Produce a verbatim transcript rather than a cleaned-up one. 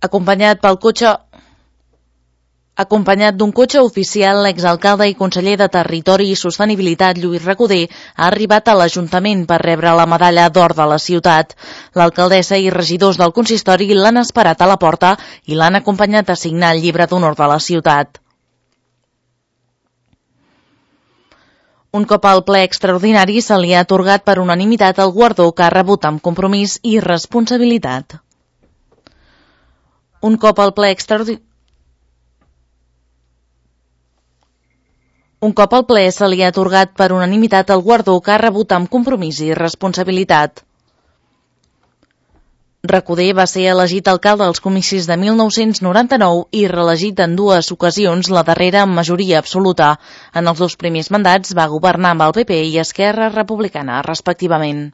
acompanyat pel cotxe Acompanyat d'un cotxe oficial, l'exalcalde i conseller de Territori i Sostenibilitat, Lluís Recoder, ha arribat a l'Ajuntament per rebre la medalla d'or de la ciutat. L'alcaldessa i regidors del consistori l'han esperat a la porta i l'han acompanyat a signar el llibre d'honor de la ciutat. Un cop al ple extraordinari se li ha atorgat per unanimitat el guardó que ha rebut amb compromís i responsabilitat. Un cop al ple extraordinari Un cop al ple se li ha atorgat per unanimitat el guardó que ha rebut amb compromís i responsabilitat. Recoder va ser elegit alcalde als comicis de mil nou-cents noranta-nou i reelegit en dues ocasions, la darrera amb majoria absoluta. En els dos primers mandats va governar amb el P P i Esquerra Republicana, respectivament.